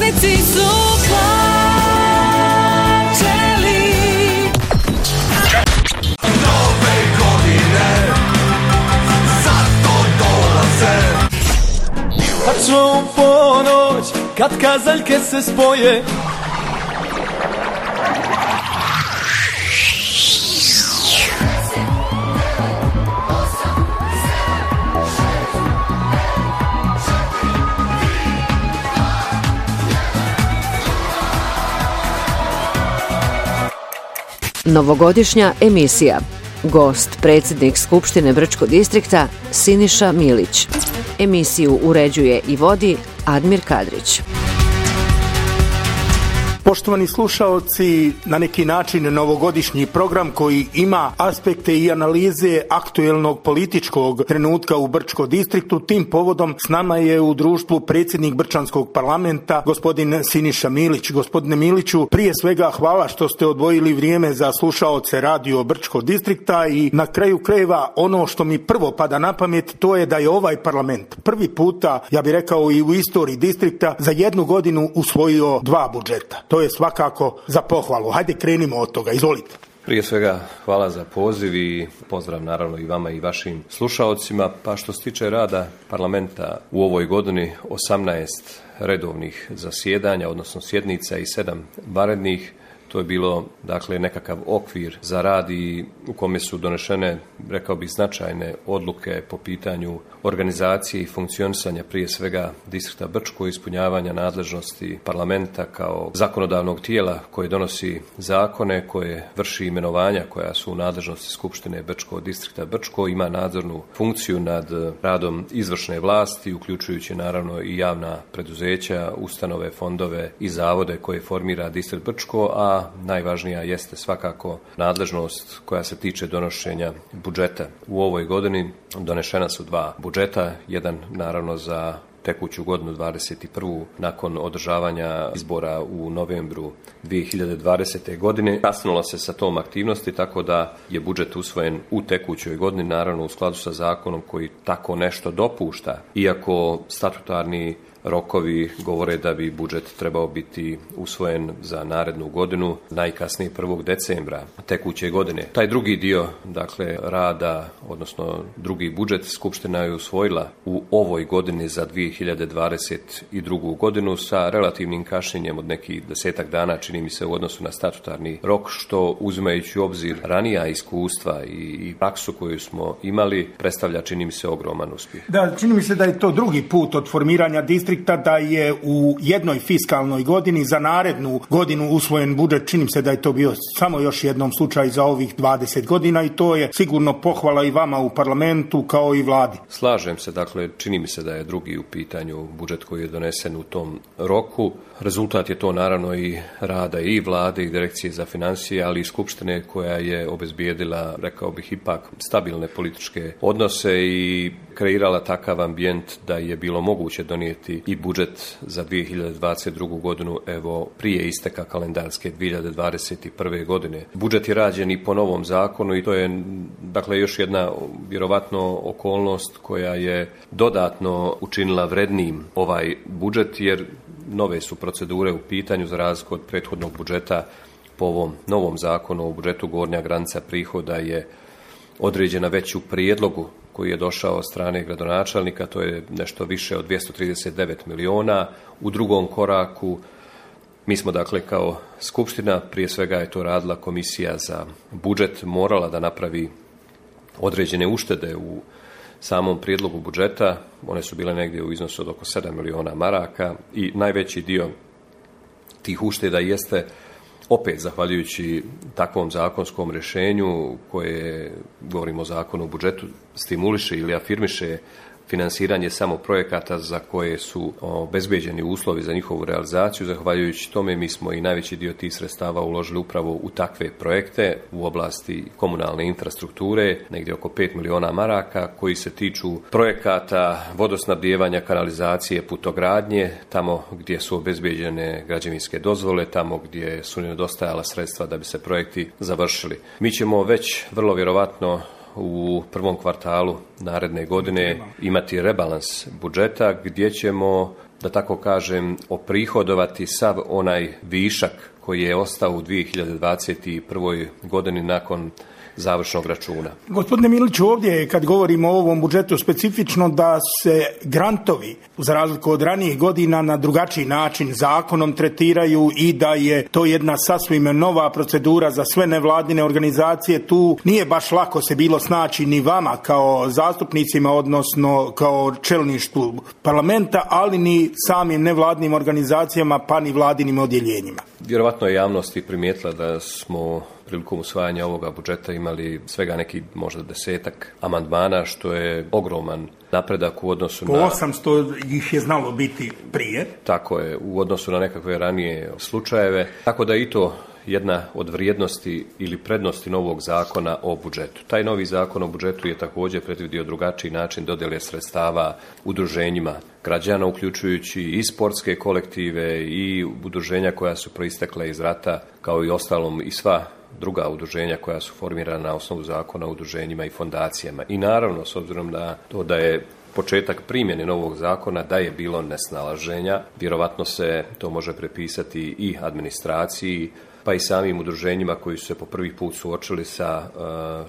putnici su plaćeli. Nove godine zato dolaze. Tačno u ponoć, kad kazaljke se spoje, Novogodišnja emisija. Gost, predsjednik Skupštine Brčkog distrikta Siniša Milić. Emisiju uređuje i vodi Admir Kadrić. Poštovani slušaoci, na neki način novogodišnji program koji ima aspekte i analize aktuelnog političkog trenutka u Brčkom distriktu. Tim povodom s nama je u društvu predsjednik Brčanskog parlamenta, gospodin Siniša Milić. Gospodine Miliću, prije svega hvala što ste odvojili vrijeme za slušaoce radio Brčkog distrikta i na kraju krajeva ono što mi prvo pada na pamet, to je da je ovaj parlament prvi puta, ja bih rekao i u istoriji distrikta, za jednu godinu usvojio 2 budžeta. To je svakako za pohvalu. Hajde krenimo od toga, izvolite. Prije svega hvala za poziv i pozdrav naravno i vama i vašim slušaocima. Pa što se tiče rada parlamenta u ovoj godini, 18 redovnih zasjedanja, odnosno sjednica i 7 vanrednih. To je bilo dakle nekakav okvir za rad i u kome su donešene, rekao bih, značajne odluke po pitanju organizacije i funkcionisanja prije svega distrikta Brčko, ispunjavanja nadležnosti parlamenta kao zakonodavnog tijela koje donosi zakone, koje vrši imenovanja koja su u nadležnosti Skupštine Brčkog distrikta Brčko, ima nadzornu funkciju nad radom izvršne vlasti, uključujući naravno i javna preduzeća, ustanove, fondove i zavode koje formira distrikt Brčko, a najvažnija jeste svakako nadležnost koja se tiče donošenja budžeta. U ovoj godini donešena su 2 budžeta, jedan naravno za tekuću godinu 21. nakon održavanja izbora u novembru 2020. godine. Kasnilo se sa tom aktivnosti, tako da je budžet usvojen u tekućoj godini, naravno u skladu sa zakonom koji tako nešto dopušta, iako statutarni rokovi govore da bi budžet trebao biti usvojen za narednu godinu, najkasnije 1. decembra tekuće godine. Taj drugi dio, dakle, rada, odnosno drugi budžet, Skupština je usvojila u ovoj godini za 2022. godinu sa relativnim kašnjenjem od nekih 10-ak dana, čini mi se, u odnosu na statutarni rok, što uzimajući u obzir ranija iskustva i praksu koju smo imali, predstavlja, čini mi se, ogroman uspjeh. Da, čini mi se da je to drugi put od formiranja distrikta da je u jednoj fiskalnoj godini za narednu godinu usvojen budžet. Čini se da je to bio samo još jednom slučaj za ovih 20 godina i to je sigurno pohvala i vama u parlamentu kao i vladi. Slažem se, dakle, čini mi se da je drugi u pitanju budžet koji je donesen u tom roku. Rezultat je to naravno i rada i vlade i direkcije za financije, ali i Skupštine koja je obezbijedila, rekao bih, ipak stabilne političke odnose i kreirala takav ambijent da je bilo moguće donijeti i budžet za 2022. godinu, evo, prije isteka kalendarske 2021. godine. Budžet je rađen i po novom zakonu i to je, dakle, još jedna vjerovatno okolnost koja je dodatno učinila vrednijim ovaj budžet, jer nove su procedure u pitanju za razliku od prethodnog budžeta. Po ovom novom zakonu o budžetu gornja granica prihoda je određena već u prijedlogu koji je došao od strane gradonačelnika, to je nešto više od 239 miliona. U drugom koraku mi smo, dakle, kao Skupština, prije svega je to radila Komisija za budžet, morala da napravi određene uštede u samom prijedlogu budžeta. One su bile negdje u iznosu od oko 7 miliona maraka i najveći dio tih ušteda jeste, opet zahvaljujući takvom zakonskom rješenju koje, govorimo o zakonu o budžetu, stimuliše ili afirmiše finansiranje samo projekata za koje su obezbeđeni uslovi za njihovu realizaciju. Zahvaljujući tome mi smo i najveći dio tih sredstava uložili upravo u takve projekte u oblasti komunalne infrastrukture, negdje oko 5 miliona maraka, koji se tiču projekata vodosnabdijevanja, kanalizacije, putogradnje, tamo gdje su obezbeđene građevinske dozvole, tamo gdje su nedostajala sredstva da bi se projekti završili. Mi ćemo već vrlo vjerovatno u prvom kvartalu naredne godine imati rebalans budžeta gdje ćemo da tako kažem, oprihodovati sav onaj višak koji je ostao u 2021. godini nakon završnog računa. Gospodine Miliću, ovdje kad govorimo o ovom budžetu specifično da se grantovi, za razliku od ranijih godina, na drugačiji način zakonom tretiraju i da je to jedna sasvim nova procedura za sve nevladine organizacije. Tu nije baš lako se bilo snaći ni vama kao zastupnicima, odnosno kao čelništvu parlamenta, ali ni samim nevladinim organizacijama pa ni vladinim odjeljenjima. Vjerovatno je javnost i primijetila da smo prilikom usvajanja ovoga budžeta imali svega neki možda 10-ak amandmana, što je ogroman napredak u odnosu na... 800 ih je znalo biti prije. Tako je, u odnosu na nekakve ranije slučajeve. Tako da i to jedna od vrijednosti ili prednosti novog zakona o budžetu. Taj novi zakon o budžetu je također predvidio drugačiji način dodjele sredstava udruženjima građana, uključujući i sportske kolektive i udruženja koja su proistekla iz rata, kao i ostalom i sva druga udruženja koja su formirana na osnovu zakona o udruženjima i fondacijama. I naravno, s obzirom na to da je početak primjene novog zakona, da je bilo nesnalaženja, vjerovatno se to može prepisati i administraciji, pa i samim udruženjima koji su se po prvi put suočili sa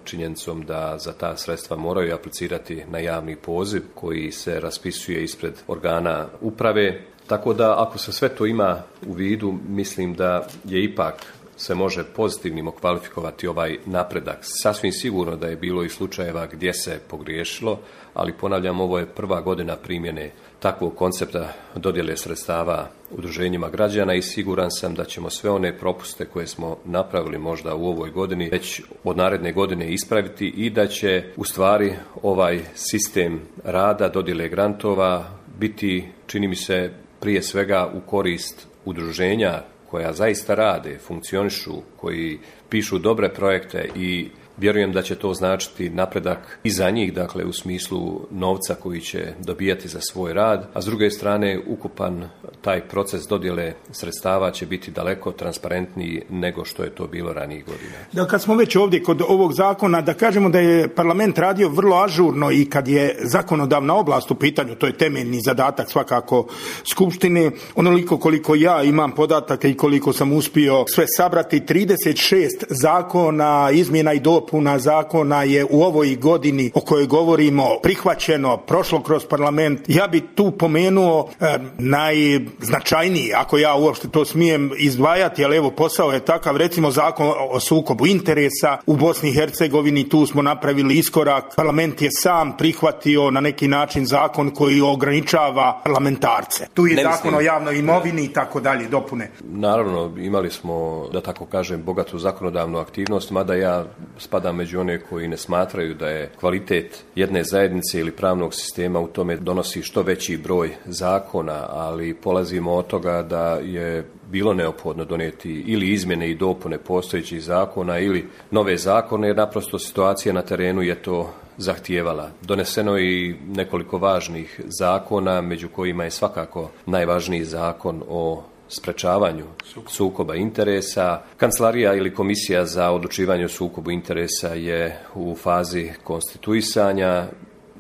činjenicom da za ta sredstva moraju aplicirati na javni poziv koji se raspisuje ispred organa uprave. Tako da ako se sve to ima u vidu, mislim da je ipak se može pozitivnim okvalifikovati ovaj napredak. Sasvim sigurno da je bilo i slučajeva gdje se pogriješilo, ali ponavljam, ovo je prva godina primjene takvog koncepta dodjele sredstava udruženjima građana i siguran sam da ćemo sve one propuste koje smo napravili možda u ovoj godini već od naredne godine ispraviti i da će u stvari ovaj sistem rada dodjele grantova biti, čini mi se, prije svega u korist udruženja koja zaista rade, funkcionišu, koji pišu dobre projekte i vjerujem da će to značiti napredak i za njih, dakle u smislu novca koji će dobijati za svoj rad, a s druge strane ukupan taj proces dodjele sredstava će biti daleko transparentniji nego što je to bilo ranijih godina. Da, kad smo već ovdje kod ovog zakona, da kažemo da je parlament radio vrlo ažurno i kad je zakonodavna oblast u pitanju, to je temeljni zadatak svakako Skupštine, onoliko koliko ja imam podataka i koliko sam uspio sve sabrati, 36 zakona, izmjena i dopuna zakona je u ovoj godini o kojoj govorimo prihvaćeno, prošlo kroz parlament. Ja bi tu pomenuo najznačajniji, ako ja uopšte to smijem izdvajati, ali evo posao je takav, recimo zakon o sukobu interesa u Bosni i Hercegovini, tu smo napravili iskorak, parlament je sam prihvatio na neki način zakon koji ograničava parlamentarce. Tu je zakon o javnoj imovini i tako dalje, dopune. Naravno, imali smo, da tako kažem, bogatu zakonodavnu aktivnost, mada ja spadam među one koji ne smatraju da je kvalitet jedne zajednice ili pravnog sistema u tome donosi što veći broj zakona, ali polazimo od toga da je bilo neophodno donijeti ili izmjene i dopune postojećih zakona ili nove zakone, jer naprosto situacija na terenu je to zahtijevala. Doneseno je i nekoliko važnih zakona, među kojima je svakako najvažniji zakon o sprečavanju sukoba interesa. Kancelarija ili komisija za odlučivanje o sukobu interesa je u fazi konstituisanja.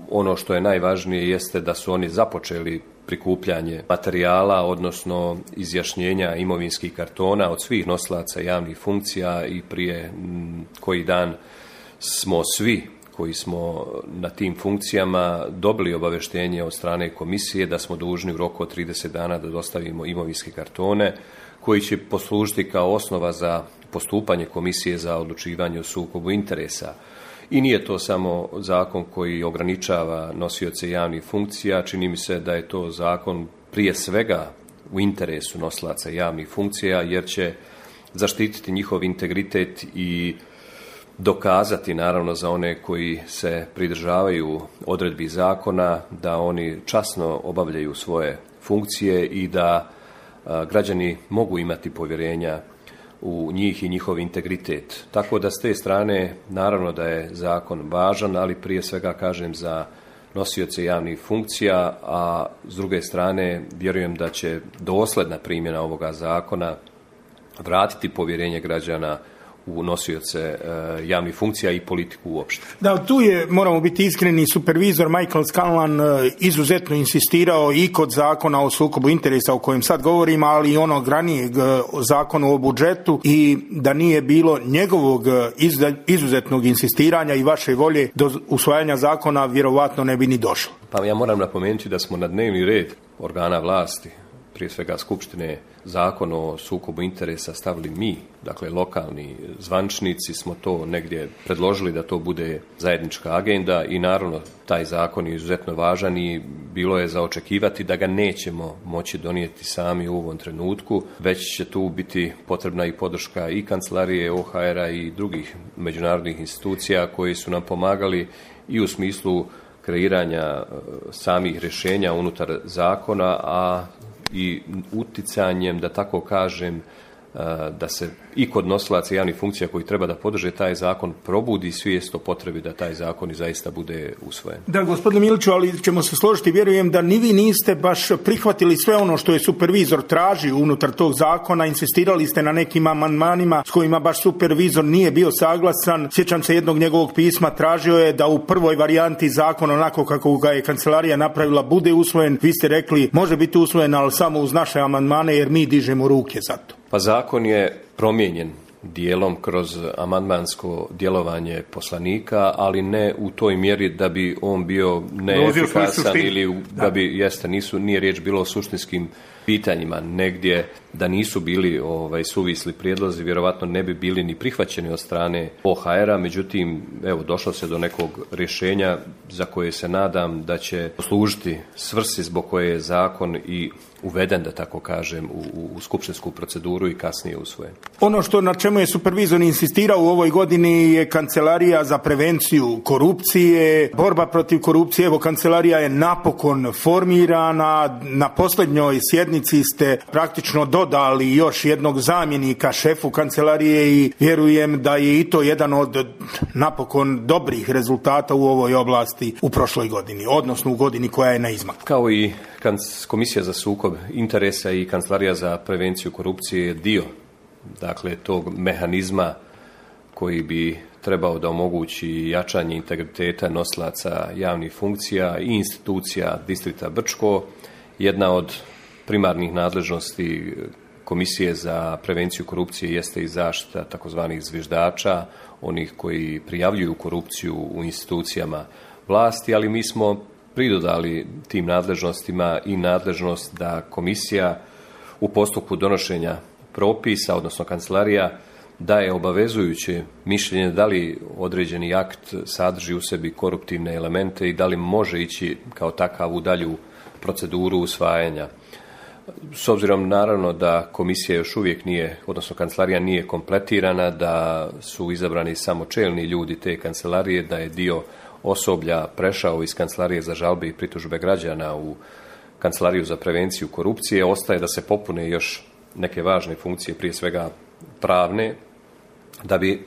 Ono što je najvažnije jeste da su oni započeli prikupljanje materijala, odnosno izjašnjenja imovinskih kartona od svih nosilaca javnih funkcija i prije koji dan smo svi koji smo na tim funkcijama dobili obavještenje od strane komisije da smo dužni u roku od 30 dana da dostavimo imovinske kartone koji će poslužiti kao osnova za postupanje komisije za odlučivanje o sukobu interesa. I nije to samo zakon koji ograničava nosioce javnih funkcija, čini mi se da je to zakon prije svega u interesu nosilaca javnih funkcija jer će zaštititi njihov integritet i dokazati naravno za one koji se pridržavaju odredbi zakona da oni časno obavljaju svoje funkcije i da građani mogu imati povjerenja u njih i njihov integritet. Tako da s te strane naravno da je zakon važan, ali prije svega kažem za nosioce javnih funkcija, a s druge strane vjerujem da će dosljedna primjena ovoga zakona vratiti povjerenje građana u nosioce javnih funkcija i politiku uopšte. Da, tu je, moramo biti iskreni, supervizor Michael Scanlan izuzetno insistirao i kod zakona o sukobu interesa o kojem sad govorim, ali i onog ranijeg zakona o budžetu, i da nije bilo njegovog izuzetnog insistiranja i vaše volje do usvajanja zakona, vjerovatno ne bi ni došlo. Pa ja moram napomenuti da smo na dnevni red organa vlasti, prije svega Skupštine, zakon o sukobu interesa stavili mi, dakle lokalni zvančnici smo to negdje predložili da to bude zajednička agenda i naravno taj zakon je izuzetno važan i bilo je za očekivati da ga nećemo moći donijeti sami u ovom trenutku, već će tu biti potrebna i podrška i kancelarije OHR-a i drugih međunarodnih institucija koji su nam pomagali i u smislu kreiranja samih rješenja unutar zakona, a i uticanjem, da tako kažem, da se i kod nosilaca javnih funkcija koji treba da podrže taj zakon probudi svijest o potrebi da taj zakon i zaista bude usvojen. Da, gospodine Miliću, ali ćemo se složiti, vjerujem da ni vi niste baš prihvatili sve ono što je supervizor tražio unutar tog zakona, insistirali ste na nekim amandmanima s kojima baš supervizor nije bio saglasan. Sjećam se jednog njegovog pisma, tražio je da u prvoj varijanti zakona, onako kako ga je kancelarija napravila, bude usvojen. Vi ste rekli može biti usvojen, ali samo uz naše amandmane jer mi dižemo ruke za to. Pa zakon je promijenjen dijelom kroz amandmansko djelovanje poslanika, ali ne u toj mjeri da bi on bio neefikasan ili da bi, nije riječ bilo o suštinskim pitanjima, negdje da nisu bili suvisli prijedlozi, vjerovatno ne bi bili ni prihvaćeni od strane OHR-a, međutim, evo, došlo se do nekog rješenja za koje se nadam da će poslužiti svrsi zbog koje je zakon i uveden, da tako kažem, u skupštinsku proceduru i kasnije usvojen. Ono što na čemu je supervizor insistirao u ovoj godini je Kancelarija za prevenciju korupcije, borba protiv korupcije. Evo, kancelarija je napokon formirana. Na posljednjoj sjednici ste praktično dodali još jednog zamjenika šefu kancelarije i vjerujem da je i to jedan od napokon dobrih rezultata u ovoj oblasti u prošloj godini, odnosno u godini koja je na izmaku. Kao i Komisija za sukob interesa i Kancelarija za prevenciju korupcije je dio, dakle, tog mehanizma koji bi trebao da omogući jačanje integriteta nosilaca javnih funkcija i institucija distrikta Brčko. Jedna od primarnih nadležnosti Komisije za prevenciju korupcije jeste i zaštita takozvanih zviždača, onih koji prijavljuju korupciju u institucijama vlasti, ali mi smo pridodali tim nadležnostima i nadležnost da komisija u postupku donošenja propisa, odnosno kancelarija, daje obavezujuće mišljenje da li određeni akt sadrži u sebi koruptivne elemente i da li može ići kao takav u dalju proceduru usvajanja. S obzirom naravno da komisija još uvijek nije, odnosno kancelarija nije kompletirana, da su izabrani samo čelni ljudi te kancelarije, da je dio osoblja prešao iz Kancelarije za žalbe i pritužbe građana u Kancelariju za prevenciju korupcije, ostaje da se popune još neke važne funkcije, prije svega pravne, da bi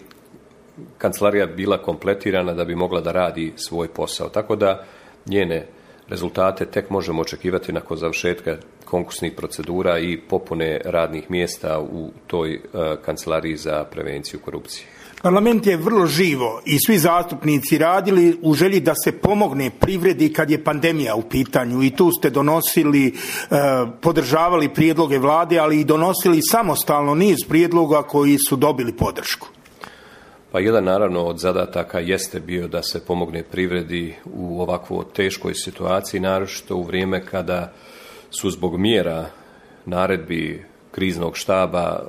kancelarija bila kompletirana, da bi mogla da radi svoj posao. Tako da njene rezultate tek možemo očekivati nakon završetka konkursnih procedura i popune radnih mjesta u toj Kancelariji za prevenciju korupcije. Parlament je vrlo živo i svi zastupnici radili u želji da se pomogne privredi kad je pandemija u pitanju i tu ste donosili, podržavali prijedloge vlade, ali i donosili samostalno niz prijedloga koji su dobili podršku. Pa jedan naravno od zadataka jeste bio da se pomogne privredi u ovakvo teškoj situaciji, naročito u vrijeme kada su zbog mjera naredbi kriznog štaba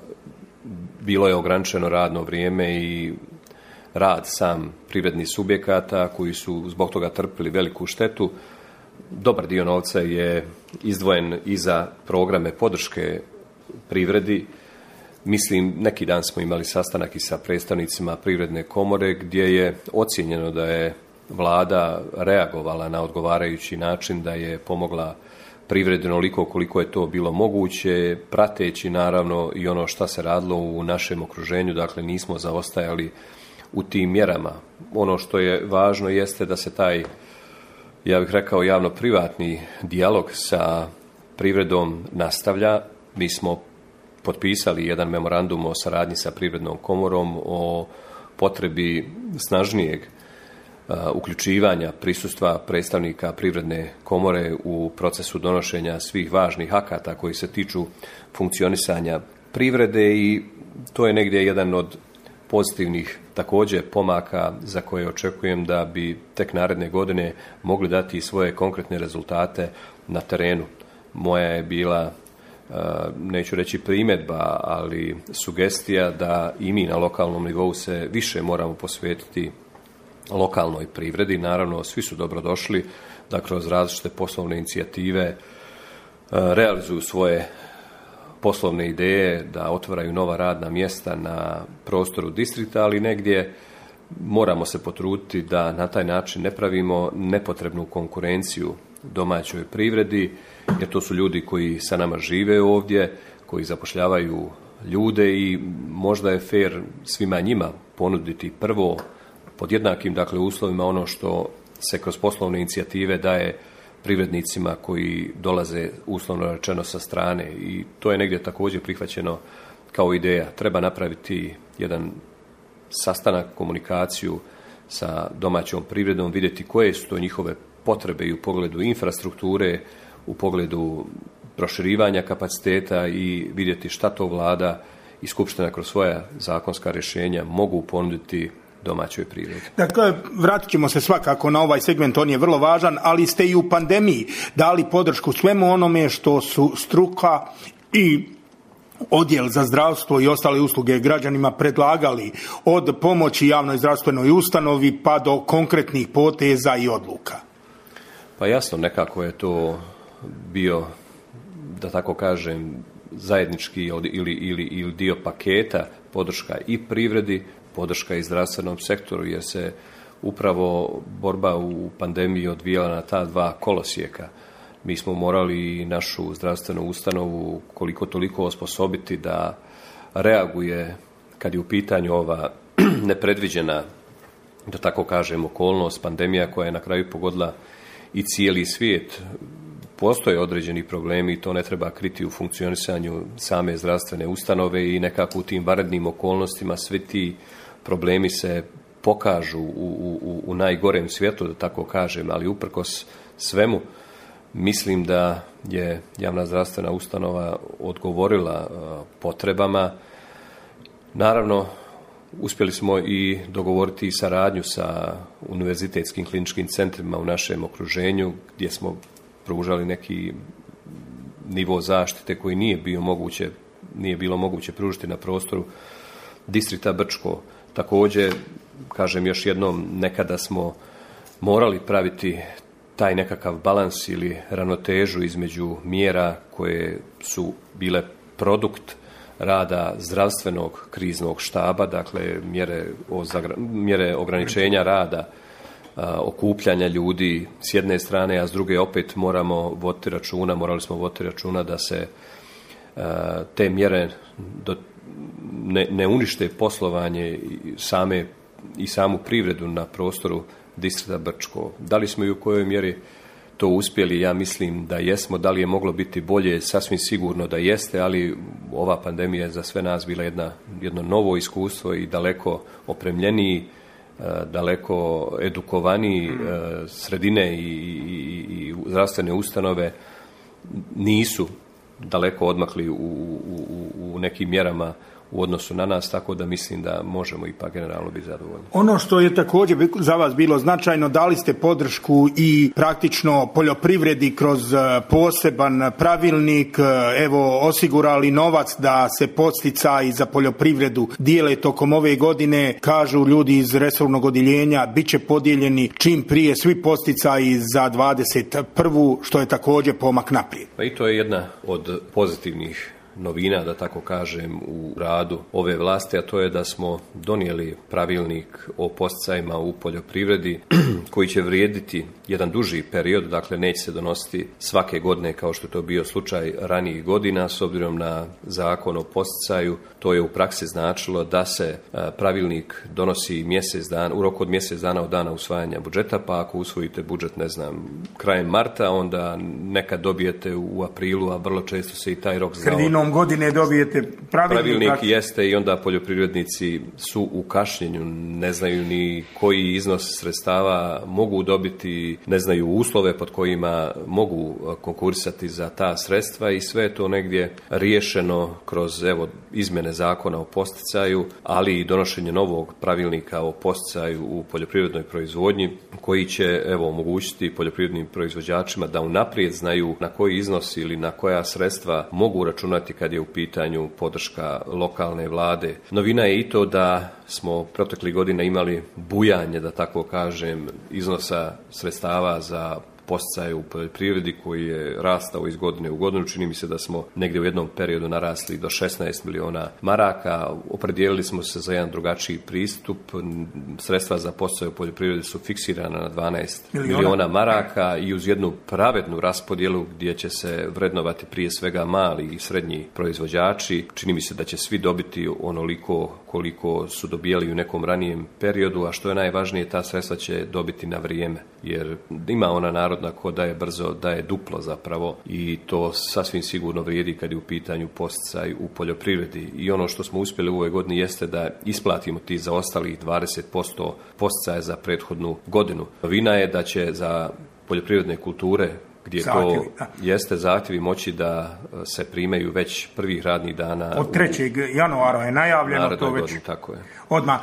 bilo je ograničeno radno vrijeme i rad sam privrednih subjekata koji su zbog toga trpili veliku štetu. Dobar dio novca je izdvojen i za programe podrške privredi. Mislim, neki dan smo imali sastanak i sa predstavnicima Privredne komore gdje je ocijenjeno da je vlada reagovala na odgovarajući način, da je pomogla privredi onoliko koliko je to bilo moguće, prateći naravno i ono šta se radilo u našem okruženju, dakle nismo zaostajali u tim mjerama. Ono što je važno jeste da se taj, ja bih rekao, javno-privatni dijalog sa privredom nastavlja. Mi smo potpisali jedan memorandum o saradnji sa Privrednom komorom o potrebi snažnijeg uključivanja prisustva predstavnika Privredne komore u procesu donošenja svih važnih akata koji se tiču funkcionisanja privrede i to je negdje jedan od pozitivnih također pomaka za koje očekujem da bi tek naredne godine mogli dati svoje konkretne rezultate na terenu. Moja je bila, neću reći primjedba, ali sugestija da i mi na lokalnom nivou se više moramo posvetiti lokalnoj privredi. Naravno, svi su dobrodošli da kroz različite poslovne inicijative realizuju svoje poslovne ideje, da otvaraju nova radna mjesta na prostoru distrikta, ali negdje moramo se potruditi da na taj način ne pravimo nepotrebnu konkurenciju domaćoj privredi, jer to su ljudi koji sa nama žive ovdje, koji zapošljavaju ljude i možda je fair svima njima ponuditi prvo pod jednakim uslovima ono što se kroz poslovne inicijative daje privrednicima koji dolaze uslovno rečeno sa strane i to je negdje također prihvaćeno kao ideja. Treba napraviti jedan sastanak, komunikaciju sa domaćom privredom, vidjeti koje su to njihove potrebe i u pogledu infrastrukture, u pogledu proširivanja kapaciteta i vidjeti šta to vlada i skupština kroz svoja zakonska rješenja mogu ponuditi domaćoj privredi. Dakle, vratit ćemo se svakako na ovaj segment, on je vrlo važan, ali ste i u pandemiji dali podršku svemu onome što su struka i odjel za zdravstvo i ostale usluge građanima predlagali, od pomoći javnoj zdravstvenoj ustanovi pa do konkretnih poteza i odluka. Pa jasno, nekako je to bio, da tako kažem, zajednički ili dio paketa podrška i privredi, podrška i zdravstvenom sektoru, jer se upravo borba u pandemiji odvijala na ta dva kolosijeka. Mi smo morali našu zdravstvenu ustanovu koliko toliko osposobiti da reaguje kad je u pitanju ova nepredviđena, da tako kažem, okolnost, pandemija koja je na kraju pogodila i cijeli svijet. Postoje određeni problemi i to ne treba kriti u funkcionisanju same zdravstvene ustanove i nekako u tim vanrednim okolnostima svi ti problemi se pokažu u najgorem svijetu, da tako kažem, ali uprkos svemu mislim da je javna zdravstvena ustanova odgovorila potrebama. Naravno, uspjeli smo i dogovoriti saradnju sa univerzitetskim kliničkim centrima u našem okruženju, gdje smo pružali neki nivo zaštite koji nije bilo moguće pružiti na prostoru distrikta Brčko. Također, kažem još jednom, nekada smo morali praviti taj nekakav balans ili ravnotežu između mjera koje su bile produkt rada zdravstvenog kriznog štaba, dakle mjere ograničenja rada, okupljanja ljudi s jedne strane, a s druge opet morali smo voditi računa da se te mjere ne unište poslovanje i samu privredu na prostoru distrikta Brčko. Da li smo i u kojoj mjeri to uspjeli? Ja mislim da jesmo. Da li je moglo biti bolje? Sasvim sigurno da jeste, ali ova pandemija je za sve nas bila jedno novo iskustvo i daleko opremljeniji, daleko edukovaniji sredine i zdravstvene ustanove nisu daleko odmakli u nekim mjerama u odnosu na nas, tako da mislim da možemo ipak generalno biti zadovoljni. Ono što je također za vas bilo značajno, dali ste podršku i praktično poljoprivredi kroz poseban pravilnik, evo osigurali novac da se podsticaji za poljoprivredu dijele tokom ove godine, kažu ljudi iz resornog odjeljenja, bit će podijeljeni čim prije svi podsticaji za 21. što je također pomak naprijed. Pa i to je jedna od pozitivnih novina, da tako kažem, u radu ove vlasti, a to je da smo donijeli pravilnik o podsticajima u poljoprivredi koji će vrijediti jedan duži period, dakle neće se donositi svake godine kao što je to bio slučaj ranijih godina. S obzirom na zakon o podsticaju, to je u praksi značilo da se pravilnik donosi u roku od mjesec dana od dana usvajanja budžeta, pa ako usvojite budžet, krajem marta, onda nekad dobijete u aprilu, a vrlo često se i taj rok znao početkom godine dobijete pravilnik. Jeste i onda poljoprivrednici su u kašnjenju, ne znaju ni koji iznos sredstava mogu dobiti, ne znaju uslove pod kojima mogu konkurisati za ta sredstva i sve je to negdje riješeno kroz izmjene zakona o posticaju, ali i donošenje novog pravilnika o posticaju u poljoprivrednoj proizvodnji koji će omogućiti poljoprivrednim proizvođačima da unaprijed znaju na koji iznos ili na koja sredstva mogu računati kad je u pitanju podrška lokalne vlade. Novina je i to da smo proteklih godina imali bujanje, da tako kažem, iznosa sredstava za posticaje u poljoprivredi koji je rastao iz godine u godinu. Čini mi se da smo negdje u jednom periodu narasli do 16 miliona maraka. Opredijelili smo se za jedan drugačiji pristup. Sredstva za posticaje u poljoprivredi su fiksirana na 12 miliona maraka i uz jednu pravednu raspodjelu gdje će se vrednovati prije svega mali i srednji proizvođači. Čini mi se da će svi dobiti onoliko koliko su dobijali u nekom ranijem periodu, a što je najvažnije, ta sredstva će dobiti na vrijeme. Jer ima ona narodna ko daje brzo, daje duplo zapravo i to sasvim sigurno vrijedi kad je u pitanju posticaj u poljoprivredi. I ono što smo uspjeli u ovoj godini jeste da isplatimo ti zaostalih 20% posticaja za prethodnu godinu. Novina je da će za poljoprivredne kulture gdje jeste zahtjevi moći da se primaju već prvih radnih dana. Od 3. januara je najavljeno to već. Godini, tako je. Odmah.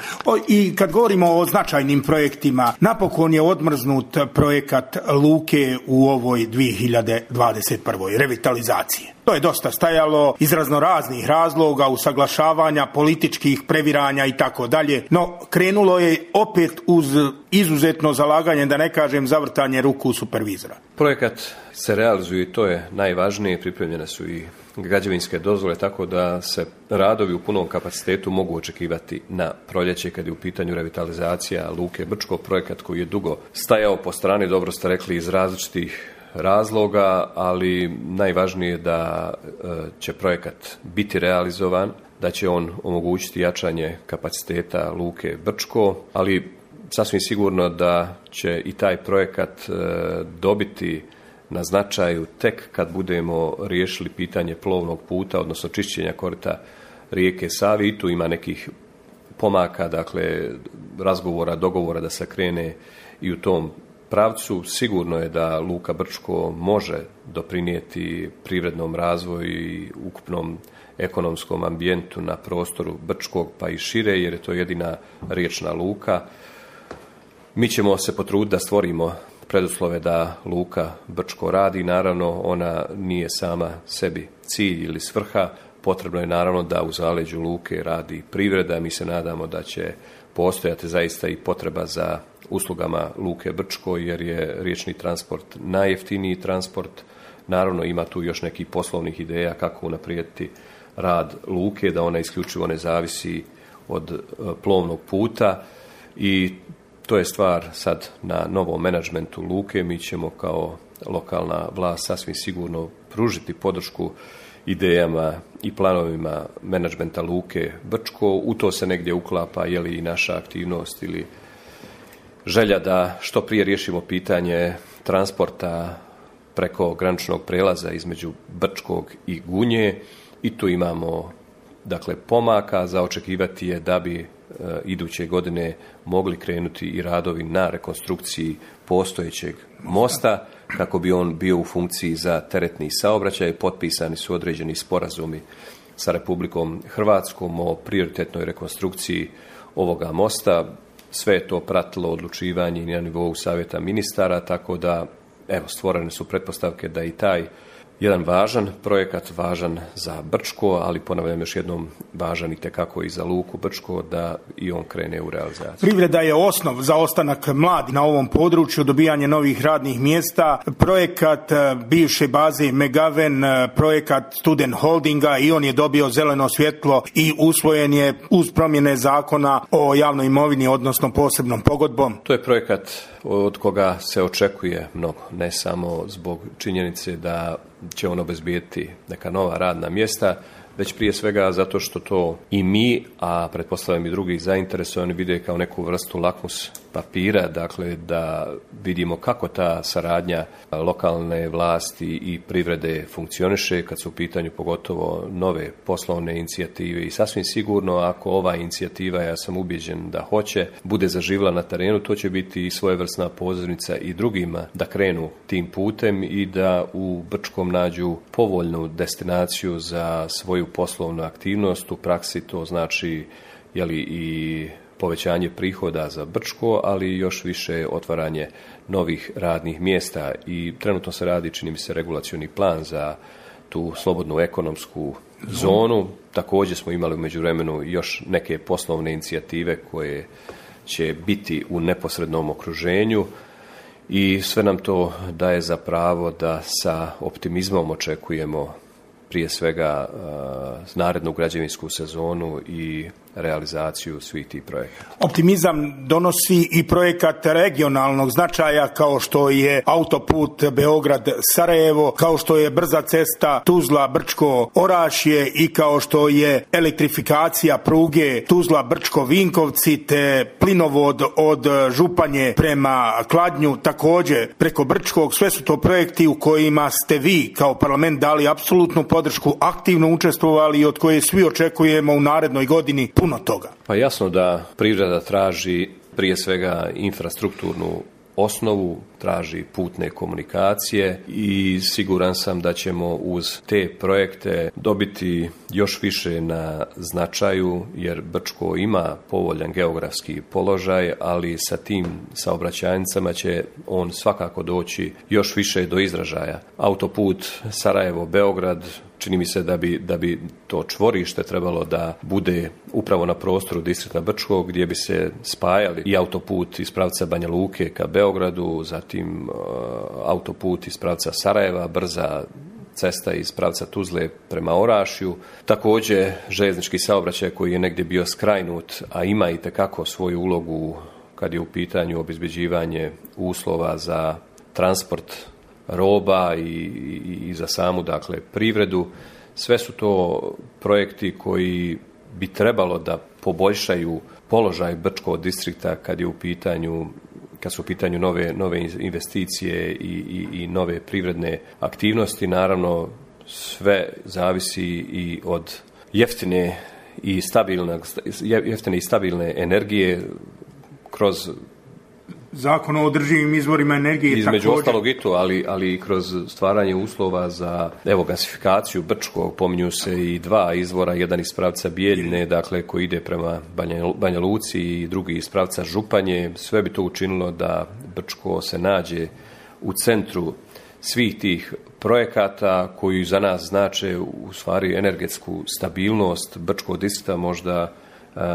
I kad govorimo o značajnim projektima, napokon je odmrznut projekat luke u ovoj 2021. revitalizacije. To je dosta stajalo iz raznoraznih razloga, usaglašavanja, političkih previranja i tako dalje, no krenulo je opet uz izuzetno zalaganje, da ne kažem zavrtanje ruku supervizora. Projekat se realizuje i to je najvažnije, pripremljene su i građevinske dozvole, tako da se radovi u punom kapacitetu mogu očekivati na proljeće kad je u pitanju revitalizacija luke Brčko, projekat koji je dugo stajao po strani, dobro ste rekli, iz različitih razloga, ali najvažnije je da će projekat biti realizovan, da će on omogućiti jačanje kapaciteta luke Brčko, ali sasvim sigurno da će i taj projekat dobiti na značaju tek kad budemo riješili pitanje plovnog puta, odnosno čišćenja korita rijeke Save. I tu ima nekih pomaka, dakle razgovora, dogovora da se krene i u tom pravcu. Sigurno je da luka Brčko može doprinijeti privrednom razvoju i ukupnom ekonomskom ambijentu na prostoru Brčkog pa i šire, jer je to jedina riječna luka. Mi ćemo se potruditi da stvorimo preduslove da luka Brčko radi. Naravno, ona nije sama sebi cilj ili svrha. Potrebno je naravno da u zaleđu luke radi privreda. Mi se nadamo da će postojati zaista i potreba za uslugama luke Brčko, jer je riječni transport najjeftiniji transport. Naravno, ima tu još nekih poslovnih ideja kako unaprijediti rad luke, da ona isključivo ne zavisi od plovnog puta i to je stvar sad na novom menadžmentu luke. Mi ćemo kao lokalna vlast sasvim sigurno pružiti podršku idejama i planovima menadžmenta luke Brčko. U to se negdje uklapa je li i naša aktivnost ili želja da što prije riješimo pitanje transporta preko graničnog prelaza između Brčkog i Gunje i tu imamo dakle pomaka. Za očekivati je da bi iduće godine mogli krenuti i radovi na rekonstrukciji postojećeg mosta kako bi on bio u funkciji za teretni saobraćaj. Potpisani su određeni sporazumi sa Republikom Hrvatskom o prioritetnoj rekonstrukciji ovoga mosta. Sve je to pratilo odlučivanje na nivou savjeta ministara, tako da stvorene su pretpostavke da i taj jedan važan projekat, važan za Brčko, ali ponavljam još jednom, važan i tekako i za luku Brčko, da i on krene u realizaciju. Privreda je osnov za ostanak mladi na ovom području, dobijanje novih radnih mjesta. Projekat bivše baze Megaven, projekat Student Holdinga, i on je dobio zeleno svjetlo i usvojen je uz promjene zakona o javnoj imovini, odnosno posebnom pogodbom. To je projekat od koga se očekuje mnogo, ne samo zbog činjenice da će on obezbijeti neka nova radna mjesta, već prije svega zato što to i mi, a pretpostavljam i drugi zainteresovani, vide kao neku vrstu lakmus papira, dakle da vidimo kako ta saradnja lokalne vlasti i privrede funkcioniše kad su u pitanju pogotovo nove poslovne inicijative i sasvim sigurno ako ova inicijativa, ja sam ubeđen da hoće, bude zaživjela na terenu, to će biti i svojevrsna pozornica i drugima da krenu tim putem i da u Brčkom nađu povoljnu destinaciju za svoju poslovnu aktivnost. U praksi to znači i povećanje prihoda za Brčko, ali još više otvaranje novih radnih mjesta i trenutno se radi, čini mi se, regulacioni plan za tu slobodnu ekonomsku zonu. Također smo imali u međuvremenu još neke poslovne inicijative koje će biti u neposrednom okruženju i sve nam to daje za pravo da sa optimizmom očekujemo prije svega narednu građevinsku sezonu i realizaciju svih tih projekata. Optimizam donosi i projekat regionalnog značaja kao što je autoput Beograd-Sarajevo, kao što je brza cesta Tuzla-Brčko-Orašje i kao što je elektrifikacija pruge Tuzla-Brčko-Vinkovci te plinovod od Županje prema Kladnju također preko Brčkog. Sve su to projekti u kojima ste vi kao parlament dali apsolutnu podršku, aktivno učestvovali i od koje svi očekujemo u narednoj godini puno toga. Pa jasno da privreda traži prije svega infrastrukturnu osnovu, traži putne komunikacije i siguran sam da ćemo uz te projekte dobiti još više na značaju, jer Brčko ima povoljan geografski položaj, ali sa tim saobraćajnicama će on svakako doći još više do izražaja. Autoput Sarajevo-Beograd, čini mi se da bi to čvorište trebalo da bude upravo na prostoru distrikta Brčkog, gdje bi se spajali i autoput iz pravca Banja Luke ka Beogradu, zatim autoput iz pravca Sarajeva, brza cesta iz pravca Tuzle prema Orašju. Također željeznički saobraćaj koji je negdje bio skrajnut, a ima i tekako svoju ulogu kad je u pitanju obezbeđivanje uslova za transport roba i za samu, dakle, privredu. Sve su to projekti koji bi trebalo da poboljšaju položaj Brčkog distrikta kad su u pitanju nove investicije i nove privredne aktivnosti. Naravno, sve zavisi i od jeftine i stabilne energije kroz Zakon o održivim izvorima energije. Između ostalog i to, ali i kroz stvaranje uslova za gasifikaciju Brčkog. Pominju se i dva izvora, jedan iz pravca Bijeljine, dakle koji ide prema Banja Luci, i drugi iz pravca Županje. Sve bi to učinilo da Brčko se nađe u centru svih tih projekata koji za nas znače u stvari energetsku stabilnost Brčkog distrikta, možda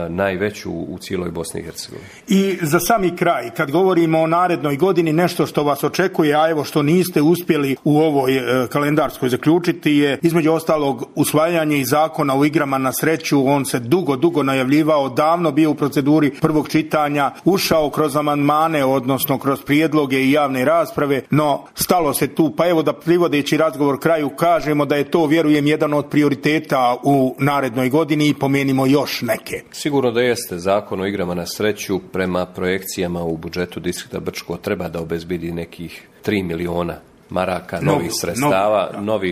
najveću u cijeloj Bosni i Hercegovini. I za sami kraj, kad govorimo o narednoj godini, nešto što vas očekuje, a evo što niste uspjeli u ovoj kalendarskoj zaključiti, je između ostalog usvajanje i zakona o igrama na sreću. On se dugo najavljivao, davno bio u proceduri prvog čitanja, ušao kroz amandmane, odnosno kroz prijedloge i javne rasprave, no stalo se tu. Pa evo da privodeći razgovor kraju kažemo da je to, vjerujem, jedan od prioriteta u narednoj godini i pomenimo još neke. Sigurno da jeste. Zakon o igrama na sreću prema projekcijama u budžetu distrikta Brčko treba da obezbedi nekih 3 miliona maraka novih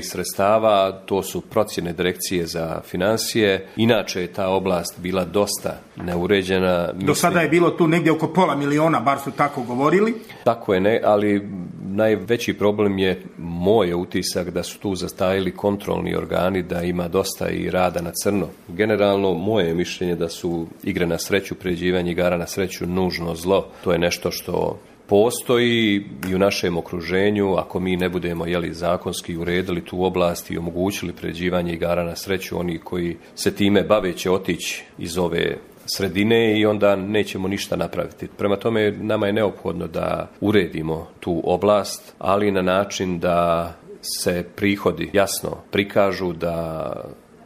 sredstava. To su procjene Direkcije za financije. Inače je ta oblast bila dosta neuređena. Do sada je bilo tu negdje oko pola miliona, bar su tako govorili. Tako je, ali najveći problem je moj utisak da su tu zastajili kontrolni organi, da ima dosta i rada na crno. Generalno, moje je mišljenje da su igre na sreću, priređivanje igara na sreću nužno zlo. To je nešto što postoji i u našem okruženju. Ako mi ne budemo zakonski uredili tu oblast i omogućili priređivanje igara na sreću, oni koji se time bave će otići iz ove sredine i onda nećemo ništa napraviti. Prema tome, nama je neophodno da uredimo tu oblast, ali na način da se prihodi jasno prikažu, da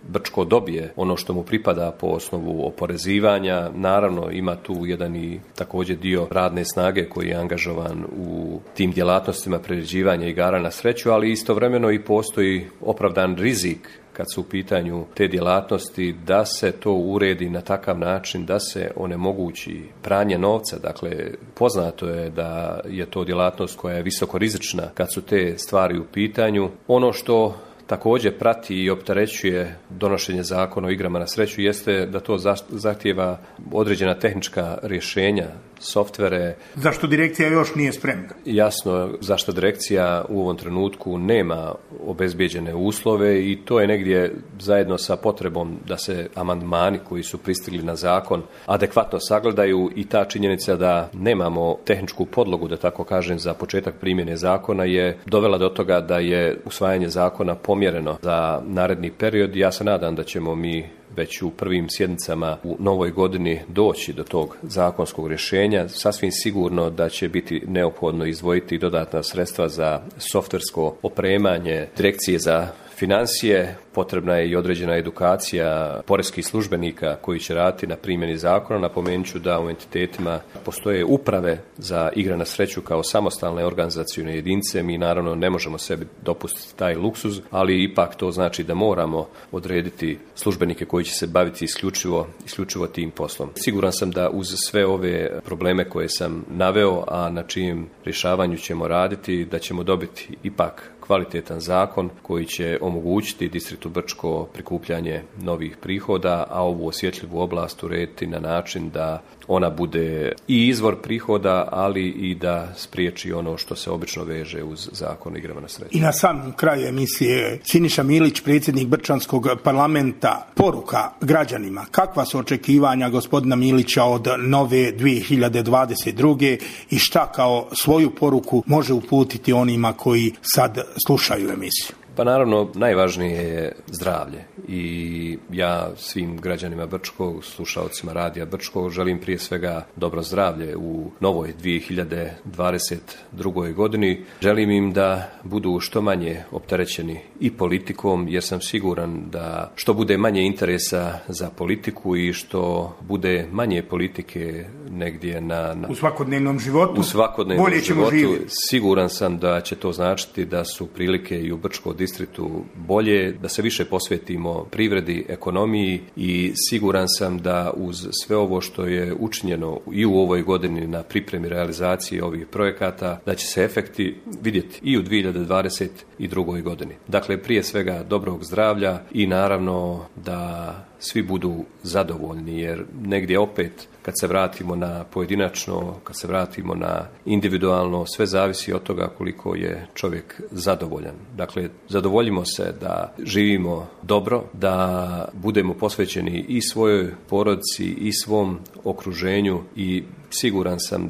Brčko dobije ono što mu pripada po osnovu oporezivanja. Naravno, ima tu jedan i također dio radne snage koji je angažovan u tim djelatnostima priređivanja igara na sreću, ali istovremeno i postoji opravdan rizik kad su u pitanju te djelatnosti, da se to uredi na takav način da se onemogući pranje novca. Dakle, poznato je da je to djelatnost koja je visoko rizična kad su te stvari u pitanju. Ono što također prati i opterećuje donošenje zakona o igrama na sreću jeste da to zahtijeva određena tehnička rješenja, softvere. Zašto direkcija još nije spremna? Jasno, zašto direkcija u ovom trenutku nema obezbijeđene uslove i to je negdje zajedno sa potrebom da se amandmani koji su pristigli na zakon adekvatno sagledaju i ta činjenica da nemamo tehničku podlogu, da tako kažem, za početak primjene zakona je dovela do toga da je usvajanje zakona pomjereno za naredni period. Ja se nadam da ćemo mi već u prvim sjednicama u novoj godini doći do tog zakonskog rješenja. Sasvim sigurno da će biti neophodno izdvojiti dodatna sredstva za softversko opremanje direkcije za financije. Potrebna je i određena edukacija poreskih službenika koji će raditi na primjeni zakona. Napomenut ću da u entitetima postoje uprave za igre na sreću kao samostalne organizacione jedinice. Mi naravno ne možemo sebi dopustiti taj luksuz, ali ipak to znači da moramo odrediti službenike koji će se baviti isključivo tim poslom. Siguran sam da uz sve ove probleme koje sam naveo, a na čijem rješavanju ćemo raditi, da ćemo dobiti ipak kvalitetan zakon koji će omogućiti distriktu Brčko prikupljanje novih prihoda, a ovu osjetljivu oblast urediti na način da ona bude i izvor prihoda, ali i da spriječi ono što se obično veže uz zakon o igrama na sreću. I na samom kraju emisije, Siniša Milić, predsjednik Brčanskog parlamenta, poruka građanima. Kakva su očekivanja gospodina Milića od nove 2022. i šta kao svoju poruku može uputiti onima koji sad slušaju emisiju? Pa naravno, najvažnije je zdravlje i ja svim građanima Brčkog, slušalcima radija Brčkog, želim prije svega dobro zdravlje u novoj 2022. godini. Želim im da budu što manje opterećeni i politikom, jer sam siguran da što bude manje interesa za politiku i što bude manje politike negdje u svakodnevnom životu, bolje ćemo živjeti. Siguran sam da će to značiti da su prilike i u Brčkom distriktu bolje, da se više posvetimo privredi, ekonomiji i siguran sam da uz sve ovo što je učinjeno i u ovoj godini na pripremi realizacije ovih projekata, da će se efekti vidjeti i u 2022. godini. Dakle, prije svega dobrog zdravlja i naravno da svi budu zadovoljni, jer negdje opet kad se vratimo na pojedinačno, kad se vratimo na individualno, sve zavisi od toga koliko je čovjek zadovoljan. Dakle, zadovoljimo se da živimo dobro, da budemo posvećeni i svojoj porodici i svom okruženju i siguran sam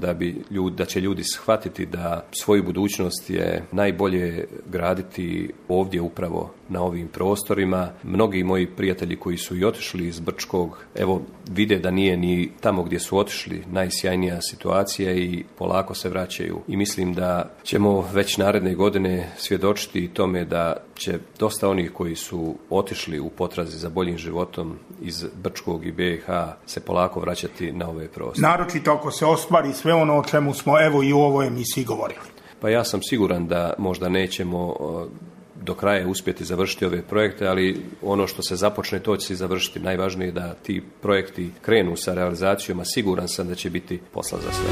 da će ljudi shvatiti da svoju budućnost je najbolje graditi ovdje upravo na ovim prostorima. Mnogi moji prijatelji koji su i otišli iz Brčkog, evo, vide da nije ni tamo gdje su otišli najsjajnija situacija i polako se vraćaju. I mislim da ćemo već naredne godine svjedočiti tome da će dosta onih koji su otišli u potrazi za boljim životom iz Brčkog i BiH se polako vraćati na ove prostore. Naročito ako se ostvari sve ono o čemu smo evo i u ovoj emisiji govorili. Pa ja sam siguran da možda nećemo do kraja uspjeti završiti ove projekte, ali ono što se započne, to će se završiti. Najvažnije je da ti projekti krenu sa realizacijom, a siguran sam da će biti posla za sve.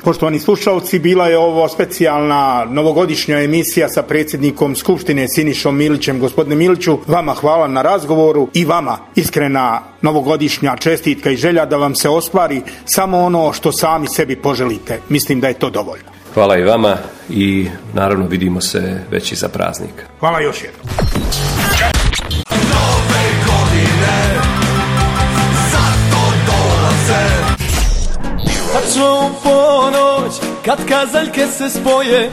Poštovani slušalci, bila je ovo specijalna novogodišnja emisija sa predsjednikom Skupštine Sinišom Milićem. Gospodine Miliću, vama hvala na razgovoru i vama iskrena novogodišnja čestitka i želja da vam se ostvari samo ono što sami sebi poželite. Mislim da je to dovoljno. Hvala i vama i naravno vidimo se već iza praznika. Hvala još jednom. Nove godine zato dolaze. Tačno u ponoć, kad kazaljke se spoje,